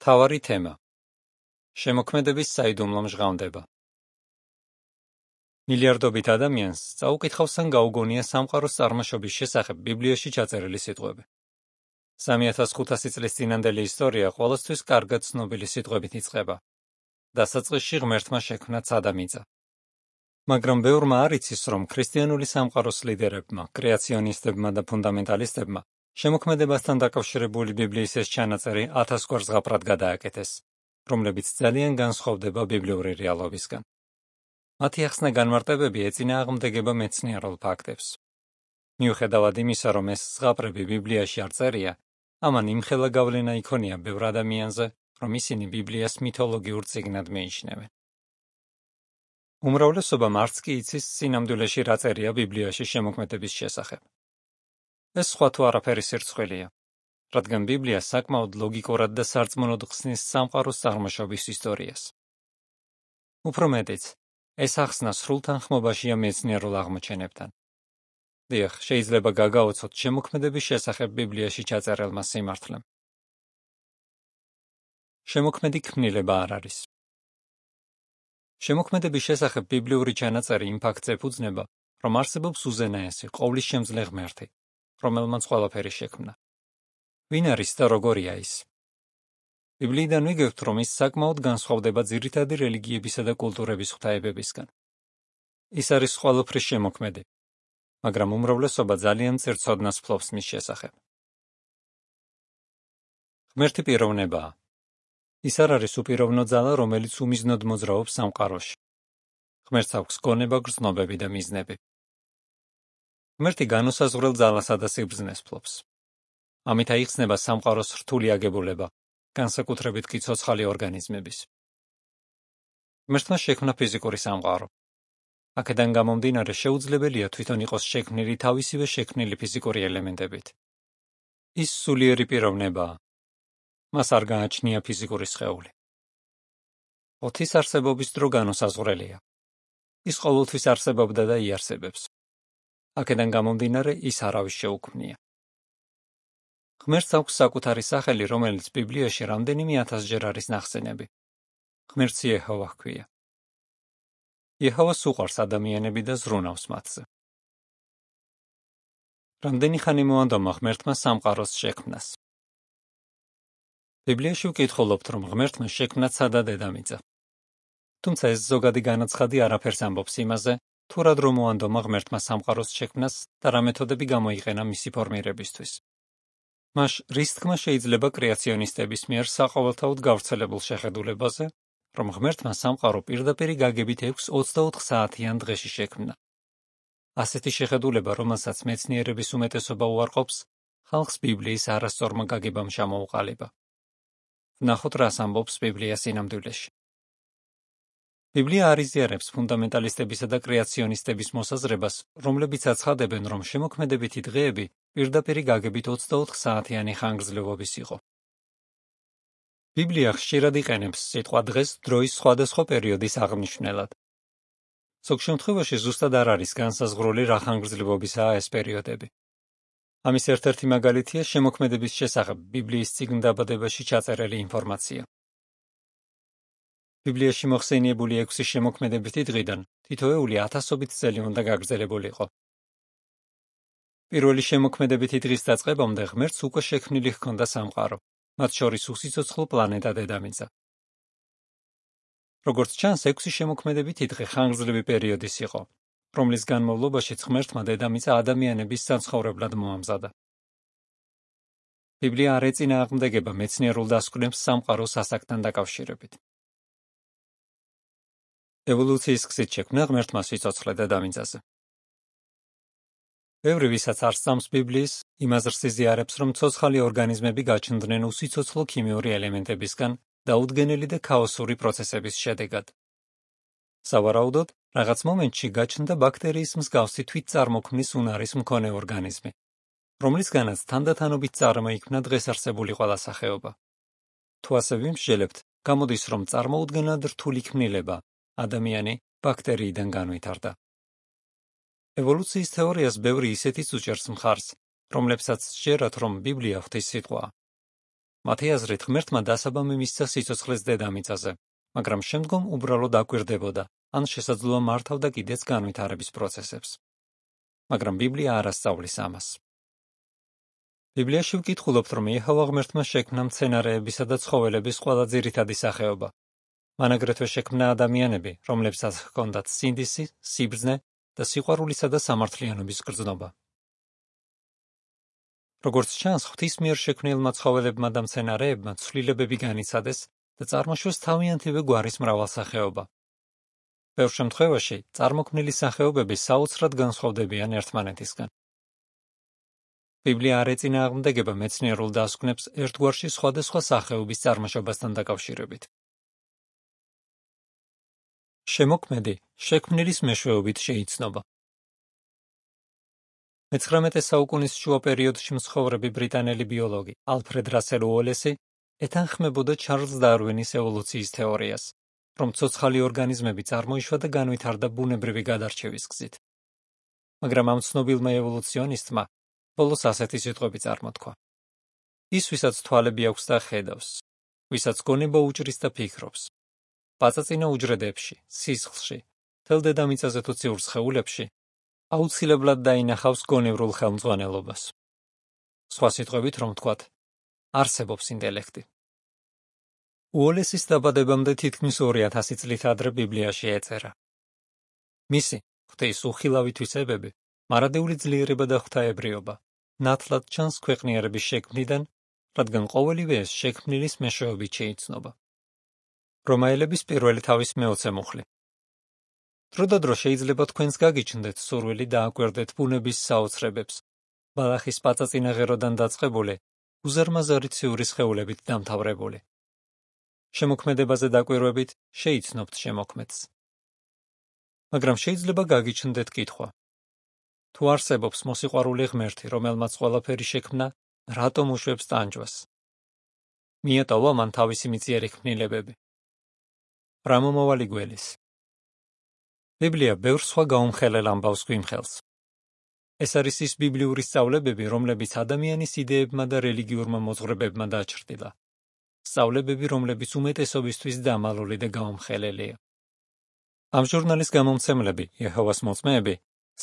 მთავარი თემა: შემოქმედების საიდუმლო მჟღავნდება. მილიარდობით ადამიანს წაუკითხავს ან გაუგონია სამყაროს წარმოშობის შესახებ ბიბლიაში ჩაწერილი სიტყვები. 3500 წლის წინანდელი ისტორია ყოველთვის კარგად ცნობილი სიტყვებით იწყება. დასაწყისში ღმერთმა შექმნა ცა და მიწა. მაგრამ ბევრმა არ იცის, რომ ქრისტიანული სამყაროს ლიდერებმა, კრეაციონისტებმა და ფუნდამენტალისტებმა შემოქმედებასთან დაკავშირებული ბიბლიის ეს ჩანაწერი 1000 გვარ ზღაპრად გადააკეთეს, რომლებიც ძალიან განსხვავდება ბიბლიური რეალობისგან. მათი ახსნა განმარტებები ეწინააღმდეგება მეცნიერულ ფაქტებს. მიუხედავად იმისა, რომ ეს ზღაპრები ბიბლიაში არ წერია, ამან იმხელა გავლენა იქონია ბევრ ადამიანზე, რომ ისინი ბიბლიას მითოლოგიურ წიგნად მიიჩნევენ. უმრავლესობამ არც კი იცის სინამდვილეში რა წერია ბიბლიაში შემოქმედების შესახებ. ეს სხვა თუ არაფერი სირცხვილია, რადგან ბიბლია საკმაოდ ლოგიკურად და სარწმუნოდ ხსნის სამყაროს წარმოშობის ისტორიას. უფრო მეტიც, ეს ახსნა სრულ თანხმობაშია მეცნიერულ აღმოჩენებთან. დიახ, შეიძლება გაგაოცოთ შემოქმედების შესახებ ბიბლიაში ჩაწერილმა სიმართლემ. შემოქმედი ქმნილება არ არის. შემოქმედების შესახებ ბიბლიური ჩანაწერი იმ ფაქტს ეფუძნება, რომ არსებობს უზენაესი, ყოვლისშემძლე ღმერთი, რომელმაც ყველაფერი შექმნა. ვინ არის და როგორია ის? ბიბლიიდან ვიგებთ, რომ ის საკმაოდ განსხვავდება ძირითადი რელიგიებისა და კულტურების ღვთაებებისგან. ის არის ყველაფრის შემოქმედი, მაგრამ უმრავლესობა ძალიან მწირ ცოდნას ფლობს მის შესახებ. ღმერთი პიროვნებაა. ის არ არის უპიროვნო ძალა, რომელიც უმიზნოდ მოძრაობს სამყაროში. ღმერთს აქვს გონება, გრძნობები და მიზნები. ღმერთი განუსაზღვრელ ძალასა და სიბრძნეს ფლობს. ამით აიხსნება სამყაროს რთული აგებულება, განსაკუთრებით კი ცოცხალი ორგანიზმების. ღმერთმა შექმნა ფიზიკური სამყარო. აქედან გამომდინარე შეუძლებელია თვითონ იყოს შექმნილი თავისივე შექმნილი ფიზიკური ელემენტებით. ის სულიერი პიროვნებაა. მას არ გააჩნია ფიზიკური სხეული. ოთის არსებობის დრო განუსაზღვრელია. ის ყოველთვის არსებობდა და იარსებებს. აქედან გამომდინარე ის არავის შეუქმნია. ღმერთს აქვს საკუთარი სახელი, რომელიც ბიბლიაში რამდენიმე ათასჯერ არის ნახსენები. ღმერთს იეჰოვა ჰქვია. იეჰოვას უყვარს ადამიანები და ზრუნავს მათზე. რამდენი ხანი მოანდომა ღმერთმა სამყაროს შექმნას? ბიბლიაში ვკითხულობთ, რომ ღმერთმა შექმნა ცა და დედამიწა. თუმცა ეს ზოგადი განაცხადი არაფერს ამბობს იმაზე, თუ რა დრო მოანდომა ღმერთმა სამყაროს შექმნას და რა მეთოდები გამოიყენა მისი ფორმირებისთვის. მას რის თქმა შეიძლება კრეაციონისტების მიერ საყოველთაოდ გავრცელებულ შეხედულებაზე, რომ ღმერთმა სამყარო პირდაპირი გაგებით 6-24 საათიან დღეში შექმნა. ასეთი შეხედულება, რომელსაც მეცნიერების უმეტესობა უარყოფს, ხალხს ბიბლიის არასწორმა გაგებამ ჩამოუყალიბა. ვნახოთ, რას ამბობს ბიბლია სინამდვილეში. ბიბლია არ იზიარებს ფუნდამენტალისტებისა და კრეაციონისტების მოსაზრებას, რომლებიც აცხადებენ, რომ შემოქმედებითი დღეები პირდაპირი გაგებით 24 საათიანი ხანგრძლივობის იყო. ბიბლია ხშირად იყენებს სიტყვა დღეს დროის სხვადასხვა პერიოდის აღნიშვნელად. ზოგ შემთხვევაში ზუსტად არ არის განსაზღვრული რა ხანგრძლივობისაა ეს პერიოდები. ამის ერთ-ერთი მაგალითია შემოქმედების შესახებ ბიბლიის წიგნ დაბადებაში ჩაწერილი ინფორმაცია. ბიბლიაში მოხსენიებული 6 შემოქმედებითი დღიდან თითოეული ათასობით წელი უნდა გაგრძელებულიყო. პირველი შემოქმედებითი დღის დაწყებამდე ღმერთს უკვე შექმნილი ჰქონდა სამყარო, მათ შორის უსიცოცხლო პლანეტა დედამიწა. როგორც ჩანს, 6 შემოქმედებითი დღე ხანგრძლივი პერიოდის იყო, რომლის განმავლობაშიც ღმერთმა დედამიწა ადამიანების საცხოვრებლად მოამზადა. ბიბლია არ ეწინააღმდეგება მეცნიერულ დასკვნებს სამყაროს ასაკთან დაკავშირებით. ევოლუციის გზით შექმნა ღმერთმა სიცოცხლე დედამიწაზე. ბევრი, ვისაც არ სწამს ბიბლიის, იმას იზიარებს, რომ ცოცხალი ორგანიზმები გაჩნდნენ უსიცოცხლო ქიმიური ელემენტებისგან დაუდგენელი და ქაოსური პროცესების შედეგად. სავარაუდოდ, რაღაც მომენტში გაჩნდა ბაქტერიის მსგავსი თვითწარმოქმნის უნარის მქონე ორგანიზმი, რომლისგანაც თანდათანობით წარმოიქმნა დღეს არსებული ყველა სახეობა. თუ ასე ვიმსჯელებთ, გამოდის, რომ წარმოუდგენლად რთული ქმნილება, ადამიანი ბაქტერიიდან განვითარდა. ევოლუციის თეორიას ბევრი ისეთიც უჭერს მხარს, რომლებსაც სჯერათ, რომ ბიბლია ღვთის სიტყვაა. მათი აზრით ღმერთმა დასაბამი მისცა სიცოცხლეს დედამიწაზე, მაგრამ შემდგომ უბრალოდ აკვირდებოდა, ან შესაძლოა მართავდა კიდეც განვითარების პროცესებს. მაგრამ ბიბლია არ ასწავლის ამას. ბიბლიაში ვკითხულობთ, რომ იეჰოვა ღმერთმა შექმნა მცენარეებისა და ცხოველების ყველა ძირითადი სახეობა. მან აგრეთვე შექმნა ადამიანები, რომლებსაც ჰქონდათ სინდისი, სიბრძნე და სიყვარულისა და სამართლიანობის გრძნობა. როგორც ჩანს, ღვთის მიერ შექმნილმა ცხოველებმა და მცენარეებმა ცვლილებები განიცადეს და წარმოშვეს თავიანთივე გვარის მრავალსახეობა. ბევრ შემთხვევაში წარმოქმნილი სახეობები საოცრად განსხვავდებიან ერთმანეთისგან. ბიბლია არ ეწინააღმდეგება მეცნიერულ დასკვნებს ერთგვარში სხვადასხვა სახეობის წარმოშობასთან დაკავშირებით. შემოქმედი შექმნილის მეშვეობით შეიცნობა. მე-19 საუკუნის შუა პერიოდში მცხოვრები ბრიტანელი ბიოლოგი ალფრედ რასელ უოლესი ეთანხმებოდა ჩარლზ დარვინის ევოლუციის თეორიას, რომ ცოცხალი ორგანიზმები წარმოიშვა და განვითარდა ბუნებრივი გადარჩევის გზით. მაგრამ ამ ცნობილმა ევოლუციონისტმა ბოლოს ასეთი სიტყვები წარმოთქვა. ის, ვისაც თვალები აქვს და ხედავს, ვისაც გონება უჭრის და ფიქრობს, პაწაწინა უჯრედებში, სისხლში, მთელ დედამიწაზე თუ ციურ სხეულებში, აუცილებლად დაინახავს გონევრულ ხელმძღვანელობას. სხვა სიტყვებით რომ ვთქვათ, არსებობს ინტელექტი. უოლესის დაბადებამდე თითქმის 2000 წლით ადრე ბიბლიაში ეწერა. მისი, ღვთის უხილავი თვისებები, მარადეული ძლიერება და ღვთაებრიობა, ნათლად ჩანს ქვეყნიერების შექმნიდან, რადგან ყოველივე ეს შექმნილის მეშვეობით შეიცნობა. რომაელების პირველი თავის მე-20 მუხლი. დრო და დრო შეიძლება თქვენს გაგიჩნდეთ სურვილი დააკვირდეთ ბუნების საოცრებებს, ბალახის პაწაწინა ღეროდან დაწყებული, უზარმაზარი ციური სხეულებით დამთავრებული. შემოქმედებაზე დაკვირვებით შეიცნობთ შემოქმედს. მაგრამ შეიძლება გაგიჩნდეთ კითხვა. თუ არსებობს მოსიყვარული ღმერთი, რომელმაც ყველაფერი შექმნა, რატომ უშვებს ტანჯვას? მიეტოვა მან თავისი მიწიერი ქმნილებები. რა მომავალი გველის? ბიბლია ბევრ სხვა გაუმხელელ ამბავს გვიმხელს. ეს არის ის ბიბლიური სწავლებები, რომლებიც ადამიანის იდეებმა და რელიგიურმა მოძღვრებებმა დაჩრდილა. სწავლებები, რომლებიც უმეტესობისთვის დამალული და გაუმხელელია. ამ ჟურნალის გამომცემლები, იეჰოვას მოწმეები,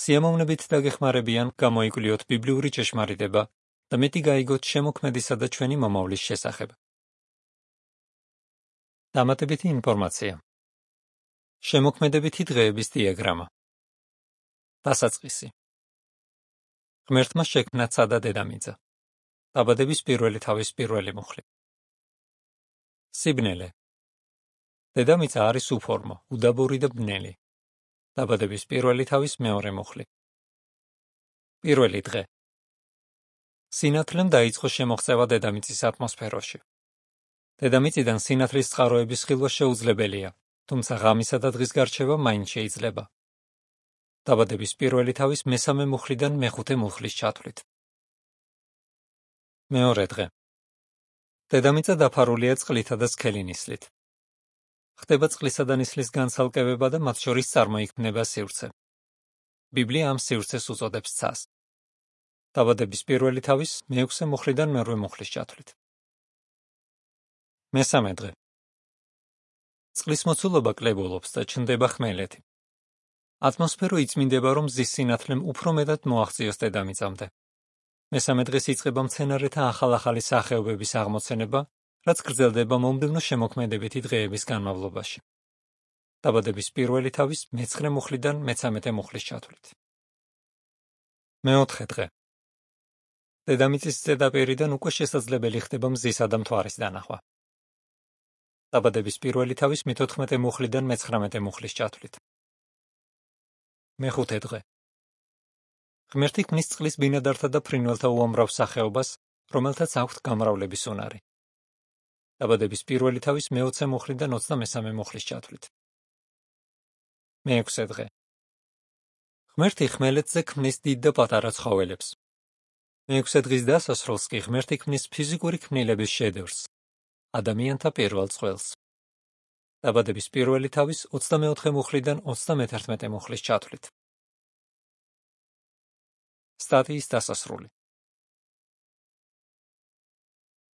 სიამოვნებით დაგეხმარებიან გამოიკვლიოთ ბიბლიური ჭეშმარიტება და მეტი გაიგოთ შემოქმედისა და ჩვენი მომავლის შესახებ. დამატებითი ინფორმაცია. შემოქმედებითი დღეების დიაგრამა. დასაწყისი. ღმერთმა შექმნა ცა და დედამიწა. დაბადების პირველი თავის პირველი მუხლი. სიბნელე. დედამიწა არის უფორმო, უდაბური და ბნელი. დაბადების პირველი თავის მეორე მუხლი. პირველი დღე. სინათლემ დაიწყო შემოღწევა დედამიწის ატმოსფეროში. დედამიწიდან სინათლის წყაროების ხილვა შეუძლებელია, თუმცა ღამისა და დღის გარჩევა მაინც შეიძლება. დაბადების პირველი თავის მესამე მუხლიდან მეხუთე მუხლის ჩათვლით. მეორე დღე. დედამიწა დაფარულია წყლითა და სქელი ნისლით. ხდება წყლისა და ნისლის განცალკევება და მათ შორის წარმოიქმნება სივრცე. ბიბლია ამ სივრცეს უწოდებს ცას. დაბადების პირველი თავის მე-6 მუხლიდან მერვე მუხლის ჩათვლით. მესამე დღე. წყლის მოცულობა კლებულობს და ჩნდება ხმელეთი. ატმოსფერო იწმინდება, რომ მზის სინათლემ უფრო მეტად მოაღწიოს დედამიწამდე. მესამე დღეს იწყება მცენარეთა ახალ-ახალი სახეობების აღმოცენება, რაც გრძელდება მომდევნო შემოქმედებითი დღეების განმავლობაში. დაბადების პირველი თავის მე-9 მუხლიდან მე-13 მუხლის ჩათვლით. მეოთხე დღე. დედამიწის ზედაპირიდან უკვე შესაძლებელი ხდება მზისა და მთვარის დანახვა. დაბადების პირველი თავის მე-14 მუხლიდან მე-19 მუხლის ჩათვლით. მეხუთე დღე. ღმერთი ქმნის წყლის ბინადართა და ფრინველთა უამრავ სახეობას, რომელთაც აქვთ გამრავლების უნარი. დაბადების პირველი თავის მე-20 მუხლიდან 23 მუხლის ჩათვლით. მე-6 დღე. ღმერთი ხმელეთზე ქმნის დიდ და პატარა ცხოველებს. მე-6 დღის დასასრულს კი ღმერთი ქმნის ფიზიკური ქმნილების შედევრს, ადამიანთა პირველ წყვილს. დაბადების პირველი თავის 24 მუხლიდან 31 მუხლის ჩათვლით. სტატიის დასასრული.